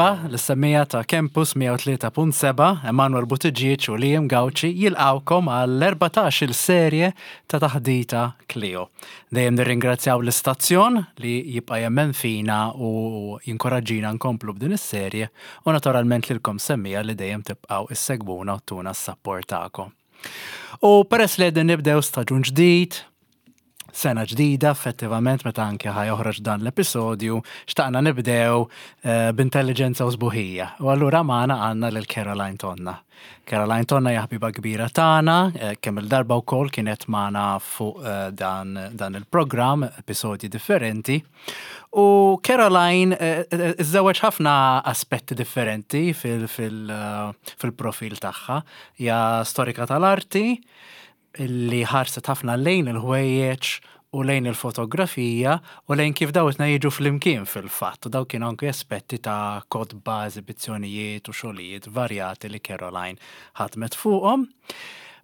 Merħba lis-semmiegħa ta' Campus 103.7, Emanuel Buttigieg u Liam Gauci jilqgħukom għall-14-il serje ta' Taħdita Clio. Dejjem nirringrazzjaw l-istazzjon li jibqa' jemmen fina u jinkoraġġina nkomplu b'din is-serje u naturalment lilkom semmiegħa li dejjem tibqgħu issegwuna u ttuna s-sapport tagħkom. U peress li qegħdin nibdew staġun ġdid, sena ġdida effettivament meta anke ħa joħroġ dan l-episodju, xtaqna nibdew eh, b'intelligenza u sbuħija. U allura magħna għandna lil Caroline Tonna. Caroline Tonna hija ħbiba kbira tagħna, eh, kemm il-darba wkoll kienet magħna fuq eh, dan, dan il-programm, episodji differenti. U Caroline iżżewweġ ħafna aspetti differenti fil-profil tagħha. Hija storika tal-arti, li ħarset ħafna lejn il-ħwejjeġ u lejn il-fotografija u lejn kif daw it jiġu flimkien fil-fatt. U daw kienu anke aspetti ta' kotba, eżibizzjonijiet u xogħlijiet varjati li Caroline ħadmet fuqhom.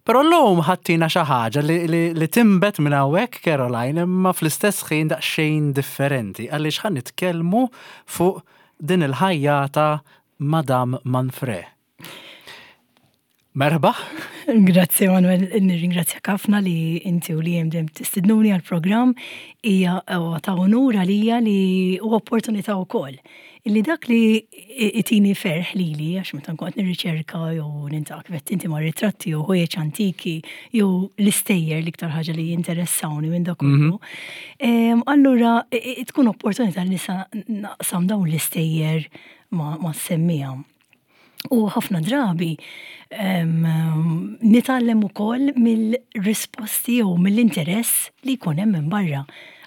Però llum ħattina xi ħaġa li, li, li timbet minn hawnhekk Caroline imma fl-istess ħin daqsxejn differenti għaliex ħa nitkellmu fuq din il-ħajjata Madame Manfre. Merħba. Grazzi Manuel, nirringrazzjak ħafna li inti u li jem dejjem tistidnuni għal-programm. Hija ta' onur għalija li u opportunità wkoll. Illi dak li itini ferħ lili, għax meta nkun qed nirriċerka jew nintaq kif inti ma' ritratti jew ħwejjeġ antiki jew l-istejjer l-iktar ħaġa li jinteressawni minn dak kollu. Mhm. Allura tkun opportunità li nista' naqsam dawn l-istejjer ma' semmija. U ħafna drabi nitgħallem ukoll mill-risposti jew mill-interess li jkun hemm minn barra.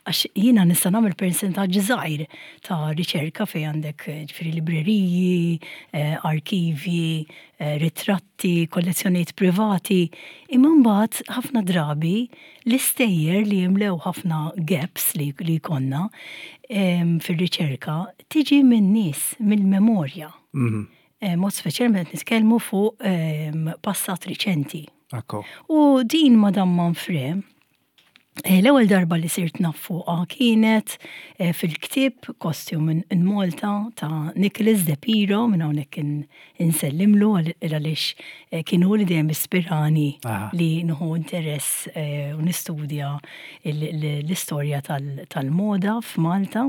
Għax jiena nista' nagħmel persentaġġ żgħir ta' riċerka fejn għandek ġifieri libreriji, eh, arkivji, eh, ritratti, kollezzjonijiet privati, imma mbagħad ħafna drabi l-istejjer li jimlew ħafna gaps li, li jkollna fir-riċerka tiġi minn nies, mill-memorja. Mhm. Eh, mod speċjalment nitkellmu fuq ehm, passat riċenti. U din Madame Manfre, eh, l-ewwel darba li sirt naf fuqha kienet eh, fil-ktieb Costume in Malta ta' Nicholas De Piro minn hawnhekk insellimlu għaliex kien hu li dejjem ispirani li nħu interess u nistudja l-istorja tal-moda f'Malta.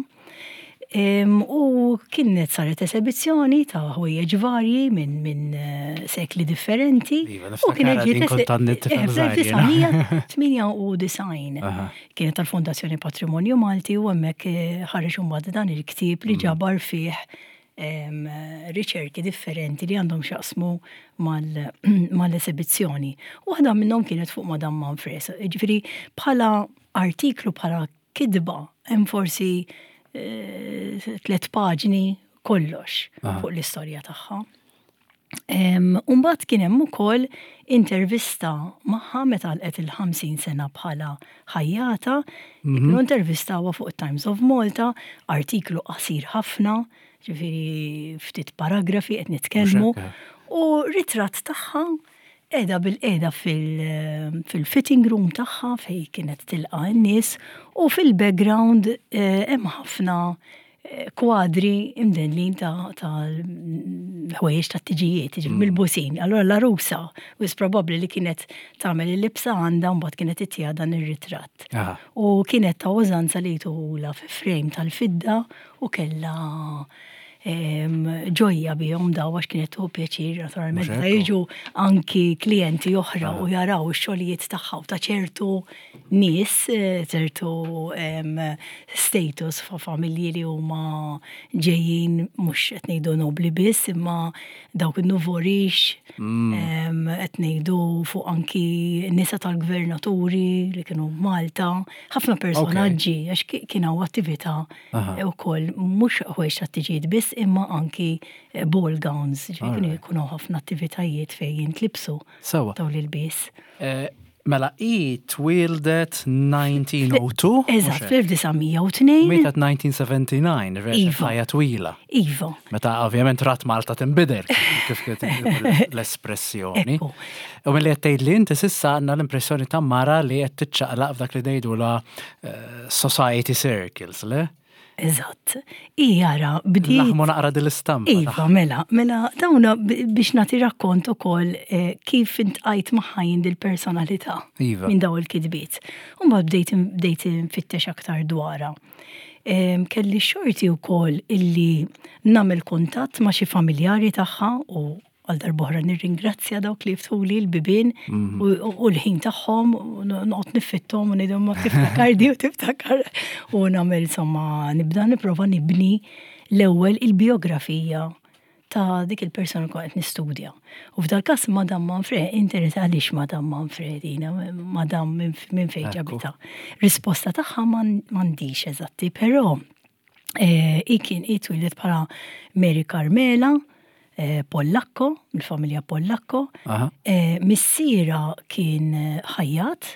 U kienet saret esebizzjoni ta' ħwejjeġ varji minn min eh, sekli differenti. Iva, u kienet ġiet 1998. Kienet tal-Fondazzjoni Patrimonju Malti u hemmhekk eh, ħareġ imbagħad dan il-ktieb li mm. ġabar fih riċerki differenti li għandhom xaqsmu mal-esebizzjoni. Waħda minnhom kienet fuq Madame Manfres. Ġifieri bħala artiklu bħala kitba, hemm forsi eh, tlet paġni kollox fuq l-istorja tagħha. Umbat kien hemm ukoll intervista magħha meta għalqet il-50 sena bħala ħajjata, mm -hmm. intervistawha fuq Times of Malta, artiklu qasir ħafna, ġifieri ftit paragrafi qed nitkellmu, u ritratt tagħha Qiegħda bilqiegħda fil-fitting room tagħha fejn kienet tilqa' n-nies u fil-background eh, hemm ħafna eh, kwadri imdendlin ta' ħwejjeġ ta' tiġijiet, mm. mill-busin. Allora l-arusa, wis probabbli li kienet tagħmel il-libsa għandha mbagħad kienet ittija dan ir-ritratt. U kienet ta' użanza li jtuhula fi frame tal-fidda u kellha ġojja bihom daw għax kienet tuħu pjaċir naturalment meta jiġu anki klijenti oħra u jaraw ix-xogħlijiet tagħha u ta' ċertu nies, eh, ċertu status fa' familji li huma ġejjin mhux qed ngħidu nobli biss imma dawk in-nuvorix mm. qed ngħidu fuq anki nisa tal-gvernaturi li kienu Malta, ħafna personaġġi għax kien hawn attività Ukoll mhux ħwejjeġ tat-tiġijiet biss imma anki eh, ball gowns, ġifieri kienu jkunu ħafna attivitajiet fejn jintlibsu dawn l-ilbies. Eh, mela i twildet 1902. Eżatt, fl-1902. Mietet 1979, iva. ħajja twila. Iva. Meta ovvjament rat Malta tinbidel, kif l-espressjoni. U mill-li qed tgħid li inti sissa għandna l-impressjoni ta' mara li qed tiċċaqlaq f'dak li ngħidula eh, society circles, le? Eżatt. Jara bdiet. Laħmu naqra din l-istampa. Iva, mela, mela dawna biex nagħti rakkont ukoll eh, kif intqajt magħha jien dil-personalità iva. minn daw il-kitbiet. U mbagħad bdejt bdejt nfittex aktar dwarha. Kelli xorti wkoll illi nagħmel kuntatt ma' xi familjari tagħha u għal darbohra nirringrazzja dawk li jiftħuli l-bibien mhm. u l-ħin tagħhom noqgħod nifittom u ngħidhom ma tiftakar di u tiftakar u nagħmel insomma nibda nipprova nibni l-ewwel il-biografija ta' dik il-persona kont qed nistudja. U f'dal każ Madam Manfred, interess għaliex Madam Manfred jina, Madam minn fejn ġabita. Risposta tagħha m'għandix eżatti, però eh, i kien i twieldet bħala Mary Carmela eh, Pollacco, mill-familja Pollacco. Eh, missiera kien ħajjat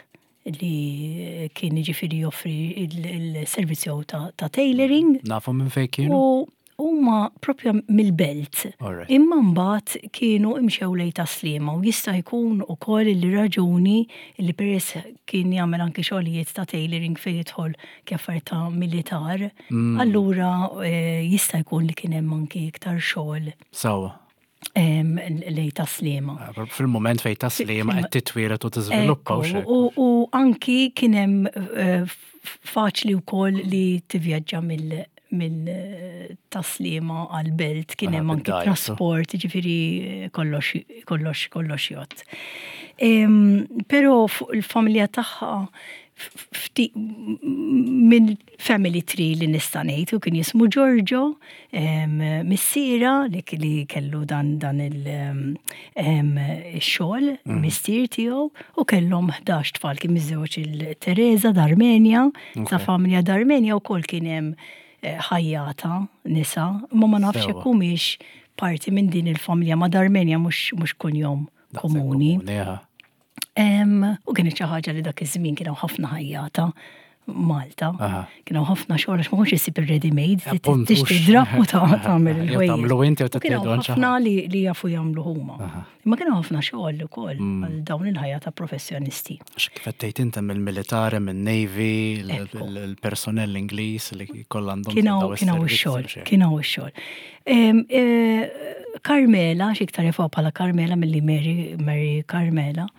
li kien jiġifieri joffri il-servizz ta' tailoring. Nafu minn fejn kienu? U huma propja mill-belt. Imma mbagħad kienu imxew lejn Tas-Sliema u jista' jkun ukoll li raġuni li peress kien jagħmel anki xogħlijiet ta' tailoring fejn jidħol kif ta' militar, mm. allura eh, jista' jkun li kien hemm anki iktar xogħol. Sawa lej taslima. Ah, fil-moment fej taslima qed titwiret u tiżviluppa u U anki kien hemm eh, faċli wkoll li tivvjaġġa mill mill-taslima għal-belt kien hemm anki trasport, ġifieri eh, kollox kollox kollox jgħod. Però fuq il-familja tagħha minn family tree li nista' ngħid u kien jismu Giorgio, missiera li kellu dan dan il-xogħol, mm. missier tiegħu u kellhom 11 tfal kien miżewġ il-Teresa d'Armenja, ta' familja d'Armenja wkoll kien hemm eh, ħajjata nisa, ma ma nafx hekk humiex parti minn din il-familja ma d'Armenja mhux kunjom komuni. U kienet xi ħaġa li dak iż-żmien kien hawn ħafna ħajjata Malta. Kien hawn ħafna xogħol għax ma kontx issib ir-ready made, tixtri drapp u tagħmel il-ħwejjeġ. Tagħmlu inti u tagħmlu ħafna li jafu jagħmlu huma. Imma kien hawn ħafna xogħol ukoll mm. għal dawn il-ħajja ta' professjonisti. Kif qed tgħid inti mill-militari, minn-Navy, il-personnel Ingliż li kollha għandhom. Kien hawn ix-xogħol, kien hawn ix-xogħol. E, Carmela, xiktar jafuha bħala Carmela milli Mary, Mary Carmela,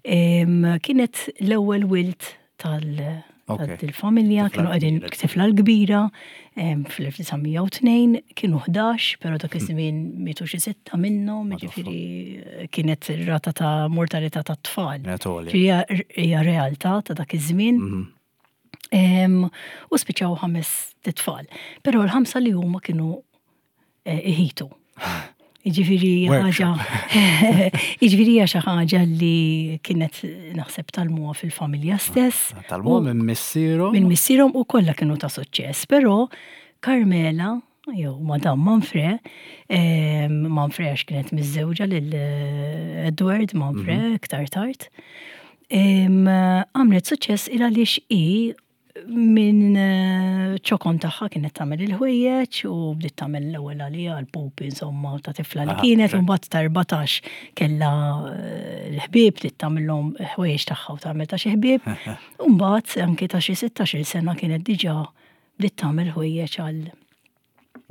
kienet l-ewwel wilt tal- tal-familja, kienu qegħdin tifla l-kbira fl-1902, kienu 11, però dak iż-żmien mietu xi sitta minnhom, jiġifieri kienet rata ta' mortalità tat-tfal. Hija realtà ta' dak iż-żmien. Mhm. U spiċċaw ħames titfal. Però l-ħamsa li huma kienu eh, iħitu. Iġifiri ħaġa, iġifiri xi ħaġa li kienet naħseb talmuha fil-familja stess. Ah, talmuha minn missierhom. Minn missierhom u kollha kienu ta' suċċess, però Carmela jew Madame Manfre, Manfre għax kienet miżżewġa lil eh, Edward Manfre mhm. iktar tard. Għamlet suċċess il għaliex i minn eh, ċokon tagħha kienet tagħmel il-ħwejjeġ u bdiet tagħmel l-ewwel għalija l-pupi insomma ta' tifla li kienet u mbagħad ta' 14 kellha eh, l-ħbieb bdiet tagħmilhom ħwejjeġ tagħha u tagħmel ta' xi ħbieb. U mbagħad anke ta' xi 16-il sena kienet diġà bdiet tagħmel ħwejjeġ għal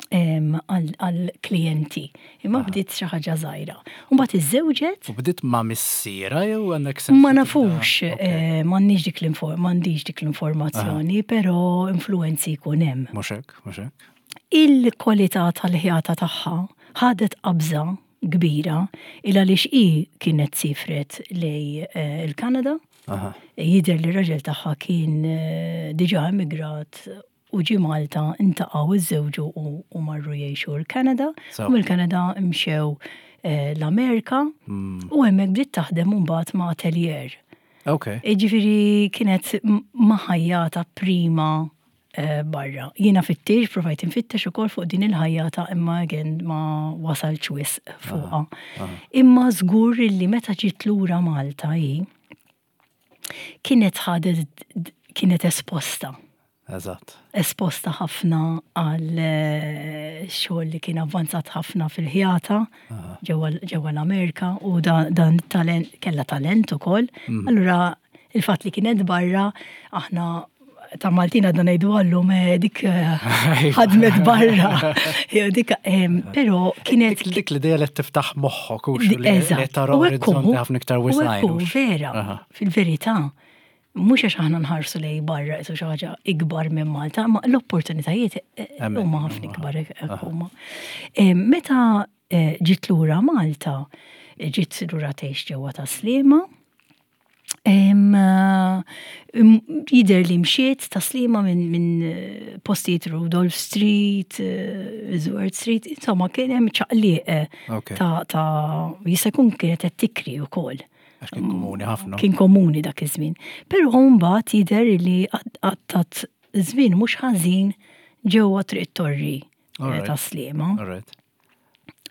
għal klijenti. Imma bdiet xi ħaġa żgħira. U mbagħad iżżewġet. U bdiet ma' missiera jew għandek sens? Ma nafux, eh, m'għandniex dik m'għandix dik l-informazzjoni, però influenzi jkun hemm. Mhux hekk, mhux hekk. Il-kwalità tal-ħjata tagħha ħadet qabża kbira il għaliex hi kienet sifret lej eh, il-Kanada. Jidher li r-raġel tagħha kien eh, diġà emigrat u ġie Malta ntaqgħu iżżewġu u marru jgħixu l-Kanada. U mill-Kanada mxew eh, l-Amerika hmm. u hemmhekk bdiet taħdem mbagħad ma' atelier. Okay. Ġifieri kienet maħajjata prima eh, barra. Jiena fittix, provajt infittex ukoll fuq din il-ħajjata imma again ma wasalx wisq fuqha. Imma żgur li meta ġiet lura Malta hi kienet ħadet kienet esposta. Eżatt. Esposta ħafna għal eh, xogħol li kien avvanzat ħafna fil-ħjata ġewwa l-Amerika u dan talent kellha talent ukoll. Mhm. Allura il-fatt li kienet barra aħna ta' Maltin għadna ngħidu għallum eh, dik eh, ħadmet barra. Jew dik, però kienet. Dik l-idea li tiftaħ moħħok u li tara orizzonti ħafna iktar wisajn. Vera, fil-verità, mhux għax aħna nħarsu lej barra isu xi ħaġa ikbar minn Malta, ma l-opportunitajiet eh, huma ħafna ikbar huma. Meta ġiet lura Malta, ġiet lura tgħix ġewwa ta' Sliema, Jider li mxiet taslima minn eh, postijiet Rudolf Street, eh, Zwart Street, insomma kien hemm ċaqliq eh, ta' ta' jista' jkun kienet qed tikri wkoll. Għax kien komuni ħafna. Kien komuni dak iż-żmien. Però mbagħad jidher li għattat żmien mhux ħażin ġewwa Triq Torri ta' Sliema.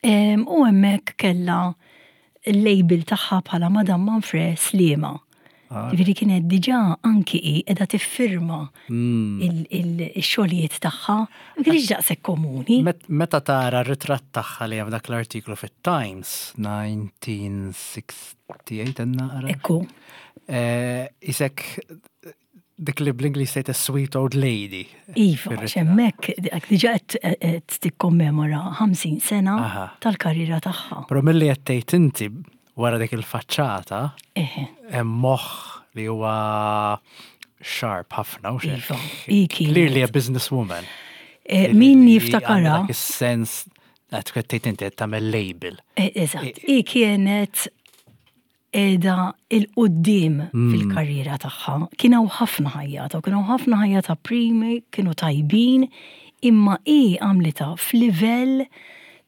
U hemmhekk kellha l-label tagħha bħala Madame Manfre Sliema. Ah. Ġifieri kienet diġà anki hi qiegħda tiffirma hmm. il-xogħlijiet tagħha, ma kienx daqshekk komuni. Meta tara r-ritratt tagħha li hemm dak l-artiklu fit-Times 1968 naqra. Ekku. Eh, isek dik li bl-Ingliż tgħid a sweet old lady. Iva, hemmhekk diġà qed tikkommemora 50 sena tal-karriera tagħha. Però milli qed tgħid inti wara dik il-faċċata hemm moħħ li huwa sharp ħafna u Iva, Clearly a businesswoman. Eh, min jiftakarha. Is-sens qed tgħid inti qed tagħmel label. Eh, eżatt, i kienet qiegħda 'il quddiem mm. fil-karriera tagħha. Kien hawn ħafna ħajjata, kien hawn ħafna ħajjata primi, kienu tajbin, imma hi għamlitha f'livell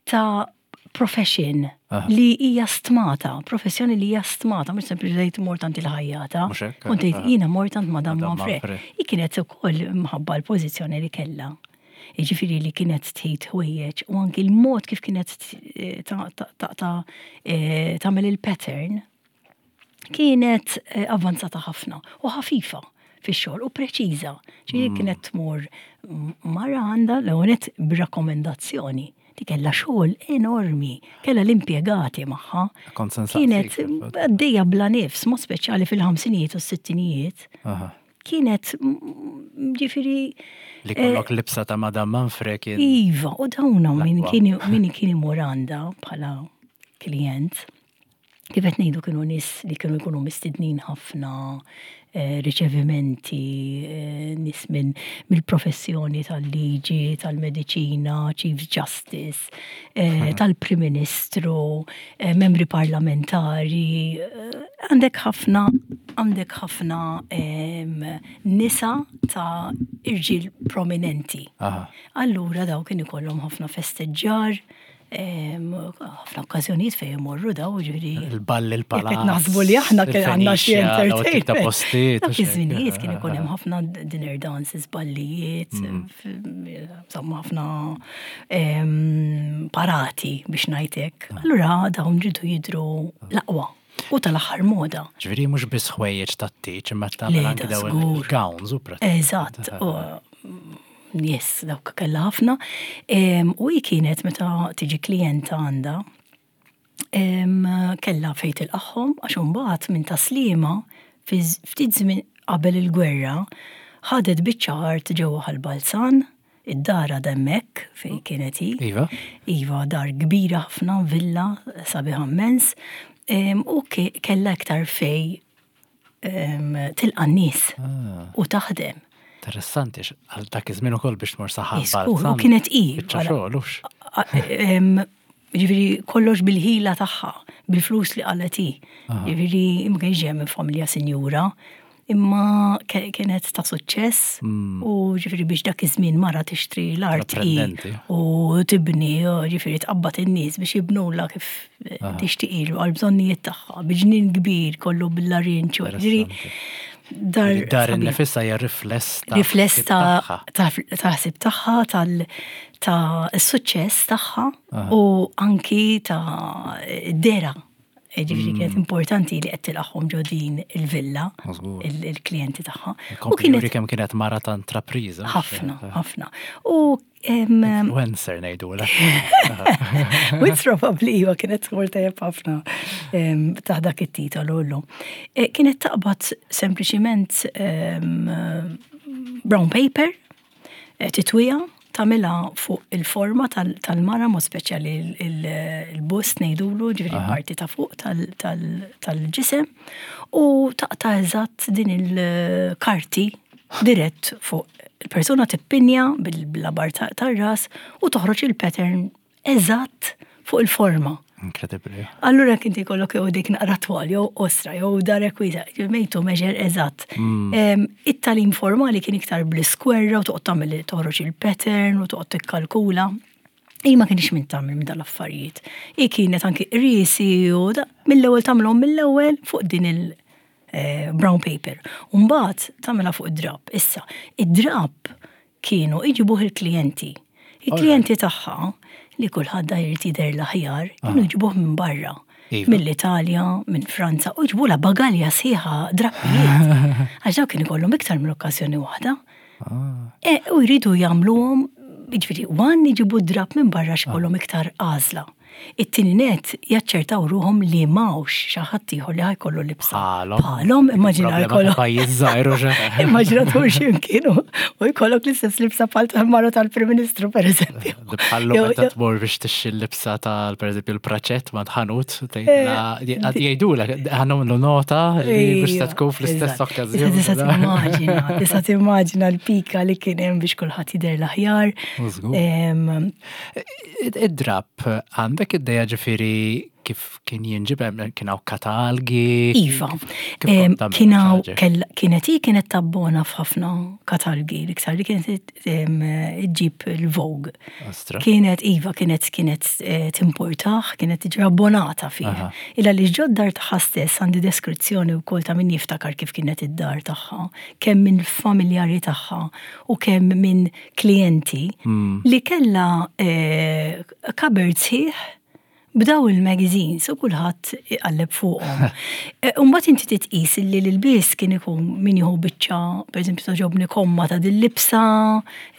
ta' profession li hija stmata, professjoni li hija stmata, mhux sempliċi mort għand il-ħajjata. Kont tgħid jiena mort għand Madame Manfre. Hi kienet ukoll mħabba l-pożizzjoni li kellha. Jiġifieri li kienet tħit ħwejjeġ u anki l-mod kif kienet eh, taqta' eh, tagħmel il-pattern kienet eh, avvanzata ħafna u ħafifa fix-xogħol u preċiża. Ġifieri mm. kienet tmur mara għandha l-ewwel b'rakkomendazzjoni Di kellha xogħol enormi, kellha l-impjegati magħha. Kienet għaddejja bla nifs, mod speċjali fil-ħamsinijiet u s-sittinijiet. Kienet, ġifiri. Li kollok eh, libsa ta' Madame Manfre kien. Iva, u dawna min kien imur għandha bħala klient. Kif qed ngħidu kienu nies li kienu jkunu mistednin ħafna eh, riċevimenti, eh, nies minn mill-professjoni tal-liġi, tal-mediċina, Chief Justice, eh, tal-Prim Ministru, membri parlamentari, għandek ħafna għandek ħafna nisa ta' irġiel prominenti. Allura daw kien ikollhom ħafna festeġġar, ħafna okkażjonijiet fejn imorru daw ġifieri. Il-ball il-palazz. Qed naħsbu li aħna kien għandna xi entertainment. Ta' postijiet. Dak iż-żminijiet kien ikun hemm ħafna dinner dances, ballijiet, mm. insomma ħafna parati biex ngħidlek. Ah. Allura dawn ġidu jidru l-aqwa u tal-aħħar moda. Ġifieri mhux biss ħwejjeġ tat-tieġ imma tagħmel anke dawn il-gowns u pratikament. Eżatt. Yes, dawk kellha ħafna. U hi kienet meta tiġi klijenta għandha, kellha fejn tilqagħhom għax imbagħad minn taslima fi ftit żmien qabel il-gwerra ħadet biċċa art ġewwa Ħal Balzan, id-dar għadha hemmhekk fejn kienet hi. Iva. Iva, dar kbira ħafna, villa sabiħa mmens. U kellha iktar fejn tilqa' n-nies ah. u taħdem. Interessanti, għal dak iż-żmien ukoll biex tmur saħħa. U kienet i. Xogħol Ġifieri kollox bil-ħila tagħha, bil-flus li qalet hi. Ġifieri ma kienx ġejja minn familja sinjura, imma kienet ta' suċċess mm. u ġifieri biex dak iż-żmien mara tixtri l-art u tibni, ġifieri tqabbad in-nies biex jibnula kif tixtieq ilu għal bżonnijiet tagħha, bi ġnien kbir kollu bil-larinċ. Ġifieri dar dar innifisha hija rifless ta' rifless ta' ta' ħsieb tagħha tal ta' s-suċċess tagħha u anki ta' dera. Ġifieri kienet mm. importanti li qed tilqagħhom ġo din il-villa il-klijenti tagħha. U kienet kemm kienet mara ta' intrapriża. Ħafna, ħafna. U Influencer ngħidu la. With probably iva kienet tmur tajjeb ħafna ta' dak it-titolu llum. E, kienet taqbad sempliċiment brown paper, eh, titwija, tagħmilha fuq il-forma tal-mara, mod speċjali il-bust ngħidulu, ġifieri parti ta' fuq tal-ġisem, u taqta' eżatt din il-karti dirett fuq il-persuna tippinja bil-labar tar-ras u toħroġ il-pattern eżatt fuq il-forma. Inkredibbli. Allura kien jkollok jew dik naqra twal jew ostra jew darek wiesa, made to measure eżatt. Mm. It-talim formali kien iktar bl-iskwerra u toqgħod tagħmel toħroġ il-pattern u toqgħod tikkalkula. Hi ma kienx minn tagħmel minn dal-affarijiet. Hi kienet anki qriesi u mill-ewwel tagħmilhom mill-ewwel fuq din il- eh, brown paper. Umbagħad tagħmilha fuq id-drab. Issa, id-drab kienu iġibuh il-klijenti. Il-klijenti tagħha li kulħadd da jrid jidher l-aħjar, kienu jġibuh minn barra. Iva. Mill-Italja, minn Franza, u jġibula bagalja sħiħa drappijiet. Għax daw kien ikollhom iktar minn okkażjoni waħda. Ah. E, u jridu jagħmluhom, jiġifieri, wan jġibu drap minn barra x'kollhom iktar għażla. It-tieni nett jaċċertaw ruħhom li m'hawnx xi ħadd ieħor li ħajkollu libsa. Bħalhom. Bħalhom, immaġina jkollok. Pajjiż żgħir u Immaġina tmur xi mkien u jkollok l-istess libsa bħal tal-mara tal-Prim Ministru pereżempju. Bħallu meta tmur biex tixxi l-libsa tal pereżempju l-praċett ma tħanut eh, jgħidulek ħanamlu nota li biex ta' tkun fl-istess okkażjoni. Tista' timmaġina, tista' timmaġina l-pika li kien hemm biex kulħadd jidher l-aħjar. Id-drab għandek id-deja ġifiri kif kien jinġib kien hawn katalgi. Iva. Kien hawn kienet hi kienet tabbona f'ħafna katalgi l-iktar li kienet iġġib il-Vogue. Kienet iva kienet kienet eh, timportaħ, kienet tiġi abbonata fih. Illa li ġod dar tagħha stess għandi deskrizzjoni wkoll ta' min jiftakar kif kienet id-dar tagħha, kemm minn familjari tagħha u kemm minn klijenti mm. li kella eh, cupboard sħiħ b'daw il-magazines u kulħadd iqalleb fuqhom. Eh, u mbagħad inti titqis li l-ilbies kien ikun min jieħu biċċa, pereżempju toġobni komma ta' dil-libsa,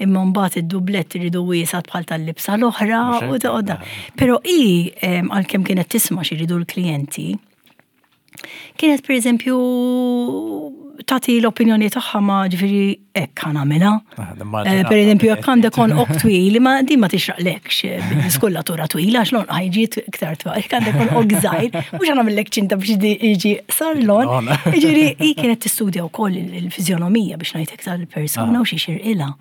imma mbagħad id-dublett iridu wiesgħat bħal tal-libsa l-oħra u toqgħodha. Però hi għalkemm kienet tisma' x'iridu l-klijenti, Kienet per eżempju tagħti l-opinjoni tagħha ma ġifieri hekk ħa nagħmilha. Ah, eh, per eżempju, jekk għandek on ok twil, ma din ma tixraqlekx eh, skullatura twila għax l-on ħajġi iktar twal. Jekk għandek on ok żgħir, mhux nagħmellek ċinta biex jiġi sar l-on. Jiġifieri hi kienet tistudja wkoll il-fiżjonomija biex ngħid iktar il-persuna ah. u xi xirqilha.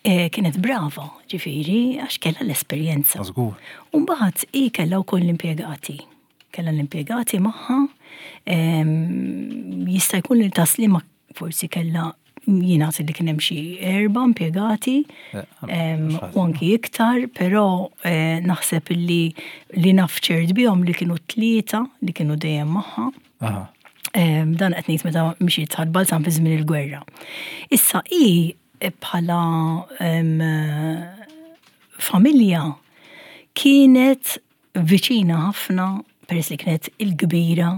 Eh, kienet brava, ġifieri, għax kellha l-esperjenza. U mbagħad hi kellha wkoll l-impjegati. Kellha l-impjegati magħha, jista' jkun li taslima forsi kellha jingħad li kien hemm xi erba' impjegati eh, u anki iktar, però eh, naħseb li li naf ċert bihom li kienu tlieta li kienu dejjem magħha. Dan qed ngħid meta mxiet ħal-balzan fi żmien il-gwerra. Issa hi eh, bħala familja kienet viċina ħafna peress li kienet il-kbira,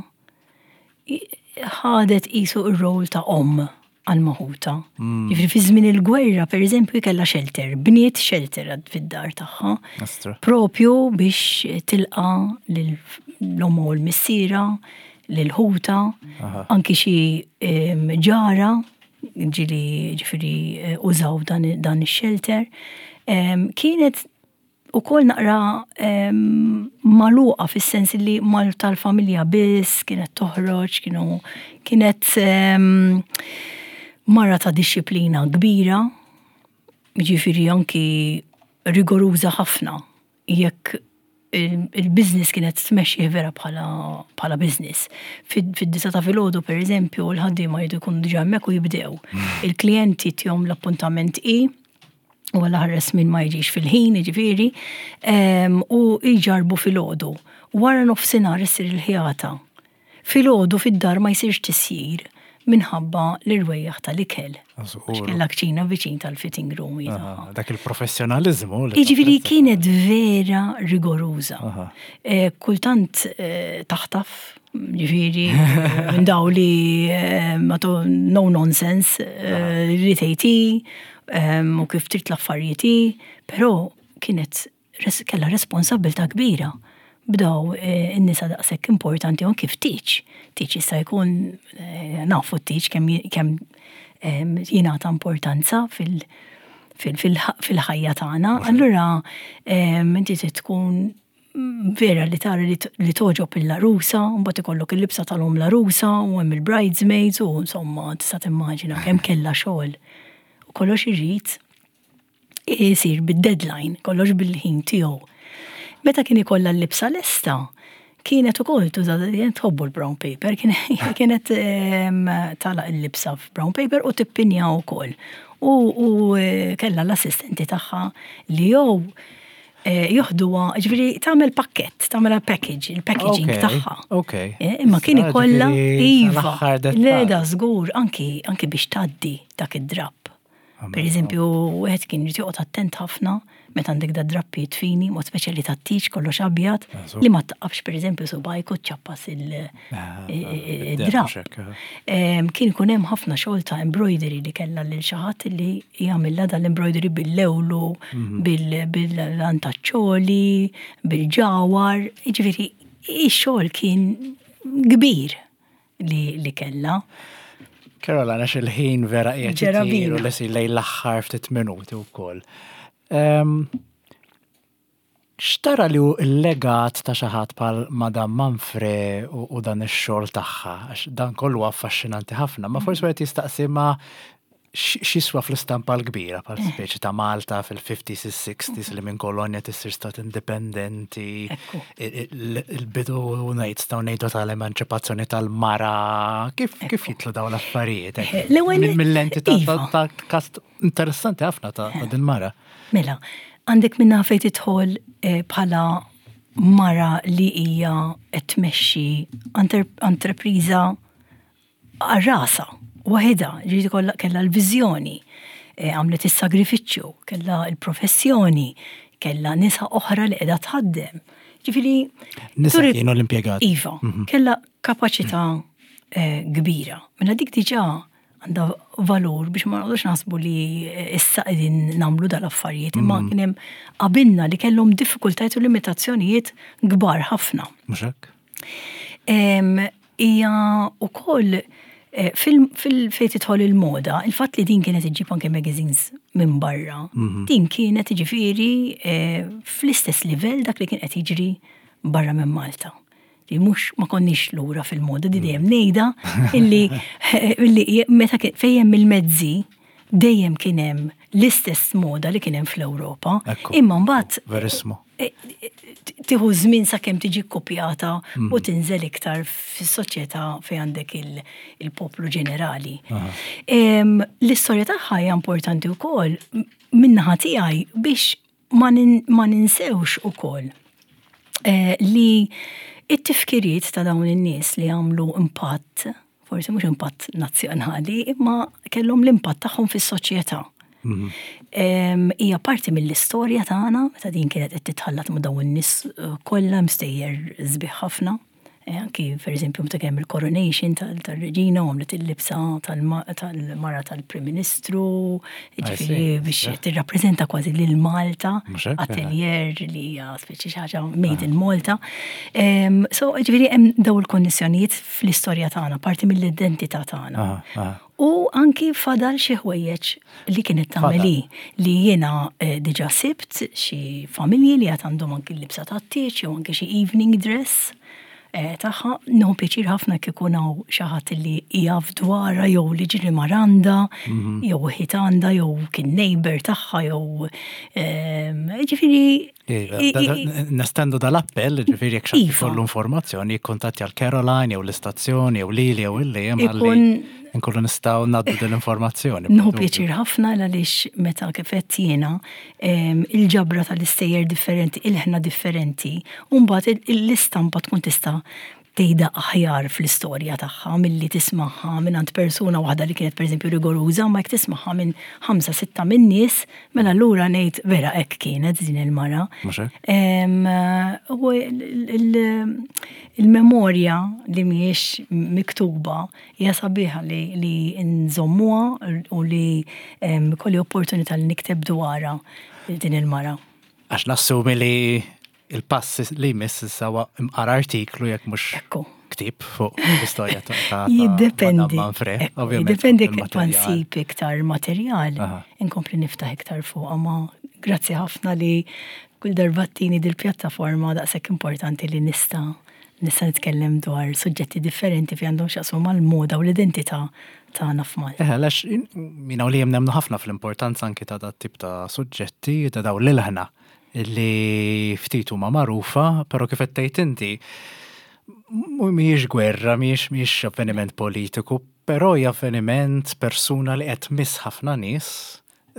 ħadet qisu r-rol ta' omm għal maħuta. Mm. Jiġifieri fi żmien il-gwerra, per eżempju, kellha shelter, bniet shelter fid-dar tagħha. Propju biex tilqa l-omm u l-missiera, l-ħuta, anki xi ġara ġili ġifieri eh, użaw dan ix-shelter. Kienet ukoll naqra magħluqa fis-sens li mal tal-familja biss kienet toħroġ, kienu kienet mara ta' dixxiplina kbira, jiġifieri anki rigoruża ħafna jekk il-business kienet tmexxih vera bħala bħala business. Fid-disa ta' filgħodu pereżempju l-ħaddiema jridu jkunu diġà hemmhekk u jibdew. Il-klijenti tihom l-appuntament i u għalla ħares min ma jiġix fil-ħin, jiġifieri, u jġarbu filgħodu. Wara nofsinhar issir il-ħjata. Filgħodu fid-dar ma jsirx tisjir minħabba l-irwejjaħ tal-ikel. Għax kellha kċina viċin tal-fitting room. Dak il-professjonaliżmu. Jiġifieri kienet vera rigoruża. Eh, kultant eh, taħtaf, ġifieri, minn daw li eh, no nonsense, li tgħid u kif trid l-affarijiet hi, però kienet kellha responsabbiltà kbira b'daw eh, in-nisa daqshekk importanti u kif tiġ. Tiġ jista' jkun eh, nafu tiġ kemm kemm jingħata importanza fil-ħajja tagħna. Allura inti trid tkun vera li tara li toġob il-larusa, mbagħad ikollok il-libsa tal-om larusa u hemm il-bridesmaids u insomma tista' timmaġina kemm kellha xogħol. U kollox irid isir bid-deadline, kollox bil-ħin tiegħu. Meta kien ikollha l-libsa lesta, kienet ukoll tuża tħobbu l-brown paper, kienet tagħlaq il-libsa f'brown paper u tippinja wkoll. U kellha l-assistenti tagħha li jew joħduha, ġifieri tagħmel pakkett, tagħmel package, il-packaging tagħha. Imma kien ikollha iva. Le da żgur anki anki biex tgħaddi dak id-drapp. Per eżempju, wieħed kien irid joqgħod attent ħafna meta għandek da drappijiet fini, mod speċjali tat-tieġ kollox abjad, li ma taqafx per eżempju subajk u ċappas il-drapp. Kien ikun hemm ħafna xogħol ta' embroidery li kellha lil xi ħadd li jagħmilha dal-embroidery bil-lewlu, bil-antaċċoli, bil-ġawar, jiġifieri ix-xogħol kien kbir li kellha. Caroline, għax il-ħin vera qiegħed ittir u lesi lejn l-aħħar ftit minuti wkoll. X'tara li hu l-legat ta' xi ħadd bħal Madame Manfre u dan ix-xogħol tagħha? Għax dan kollu affaxxinanti ħafna, ma forsi wieħed jistaqsi ma x'jiswa fl-istampa l-kbira bħal speċi ta' Malta fil-50s, is-60s li minn kolonja tissir stat indipendenti, il-bidu ngħid staw ngħidu tal-emanċipazzjoni tal-mara, kif kif jitlu dawn l-affarijiet? Mill-lenti ta' iva. kast interessanti ħafna ta' din mara. Mela, għandek minna fejn tidħol eh, bħala mara li hija qed tmexxi entrepriża għal rasha, waħidha, ġifieri kollha kellha l-viżjoni, eh, għamlet is-sagrifiċċju, kellha l-professjoni, kellha nisa oħra li qiegħda tħaddem. Ġifieri Nisa kienu l-impjegati. Iva, kellha kapaċità eh, kbira. Mela dik diġà għandha valur biex ma noqgħodux naħsbu li issa qegħdin nagħmlu dal-affarijiet, imma kien hemm qabilna li kellhom diffikultajiet u limitazzjonijiet kbar ħafna. Mhux hekk? Hija wkoll eh, fil-fejn tidħol il-moda, il-fatt li din kienet iġġib anke magazines minn barra, din kienet ġifieri eh, fl-istess livell dak li kien qed jiġri barra minn Malta. Li mhux ma konniex lura fil-moda, di dejjem ngħidha illi illi meta fejn hemm il-mezzi dejjem kien hemm l-istess moda li kien hemm fl-Ewropa. Imma mbagħad Verissimo. E, e, tieħu żmien sakemm tiġi kopjata u mm. tinżel iktar fis-soċjetà fejn għandek il-poplu ġenerali. L-istorja tagħha hija importanti wkoll min-naħa tiegħi biex ma ninsewx ukoll eh, li it-tifkiriet ta' dawn in-nies li għamlu impatt, forsi mhux impatt nazzjonali, imma kellhom l-impatt tagħhom fis-soċjetà. Mhm. Hija parti mill-istorja tagħna, meta din kienet qed titħallat ma' dawn in-nies eh, kollha mstejjer sbieħ ħafna. Eh, anki per eżempju meta kemm il-coronation tal-reġina u għamlet il-libsa tal-mara tal-Prim Ministru, ġifieri biex tirrappreżenta kważi lil Malta, atelier li hija speċi xi ħaġa made in Malta. So ġifieri hemm daw il-konnessjonijiet fl-istorja tagħna, parti mill-identità tagħna. U anki fadal xi ħwejjeġ li kienet tagħmel hi li jiena eh, diġà sibt xi familji li għad għandhom anki l-libsa tat-tieġ jew anki xi evening dress eh, tagħha. Nieħu pjaċir ħafna kif ikun hawn xi ħadd li jaf dwarha jew li ġiri maranda mhm. jew ħit għandha jew kien neighbor tagħha jew ehm, ġifieri Nestendu dal-appell, ġifieri jekk xi iva. kollu informazzjoni, jikkuntattja l-Caroline jew l-istazzjoni jew lili jew illi hemm ħalli nkunu nistgħu ngħaddu din l-informazzjoni. Nieħu pjaċir ħafna għaliex meta kif qed jiena il-ġabra tal-istejjer differenti, il-ħna differenti, u mbagħad l-istampa tkun tista' tgħidha aħjar fl-istorja tagħha milli tismagħha mingħand persuna waħda li kienet pereżempju rigoruża, ma jekk tismagħha minn ħamsa sitta minn nies, mela allura ngħid vera hekk kienet din il-mara. U il-memorja li mhijiex miktuba hija sabiħa li nżommuha u li kolli opportunità li nikteb dwarha din il-mara. Għax nassumi li il-pass li jmiss issa huwa imqar artiklu jekk mhux Ekku. ktieb fuq l-istorja ta' Jiddependi. Manfre, ovvjament. Jiddependi kif nsib iktar materjal, inkompli niftaħ iktar fuq, ma grazzi ħafna li kull darba tini dil-pjattaforma daqshekk importanti li nista' nista' nitkellem dwar suġġetti differenti fi għandhom x'jaqsmu mal-moda u l-identità tagħna f'Malta. Eħe, għax jiena u Liam nemmnu ħafna fl-importanza anki ta' dat tip ta' suġġetti, ta' dawn l-ilħna li ftit huma magħrufa, però kif qed tgħid inti, mhijiex gwerra, mhijiex mhijiex avveniment politiku, però hija avveniment persuna li qed tmiss ħafna nies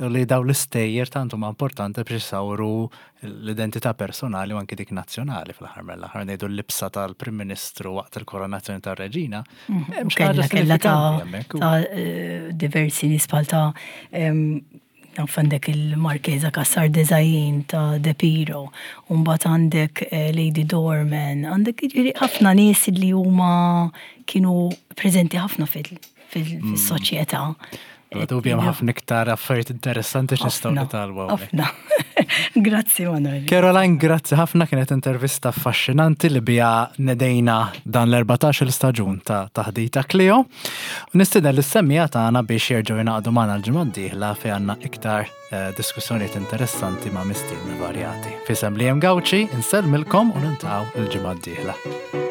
li dawn l-istejjer tant huma importanti biex isawru l-identità personali u anki dik nazzjonali fl-aħħar mill-aħħar ngħidu l-libsa tal-Prim Ministru waqt il-koronazzjoni tar-Reġina. Mhm. Hemm xi ħaġa Kella ta' sinifikanti hemmhekk. ta' eh, diversi nies bħal ta' em, naf għandek il-Marchesa Cassar Desain ta' De Piro, u mbagħad għandek eh, Lady Dorman, għandek jiġifieri ħafna nies li huma kienu preżenti ħafna fil-soċjetà. Bla dubju hemm ħafna iktar affarijiet interessanti x'nistgħu Ħafna, nitgħallmu hawnhekk. Ħafna. Grazzi Manuel. Caroline, grazzi ħafna kienet intervista affaxxinanti li biha nedejna dan l-14 staġun ta' Taħdita Kleo. U nistieden lis-semmiegħa tagħna biex jerġgħu jingħaqdu magħna l-ġimgħa d-dieħla fejn għandna iktar eh, diskussjonijiet interessanti ma' mistiedna varjati. F'isem Liam Gauci, insellmilkom u niltaqgħu l-ġimgħa d-dieħla.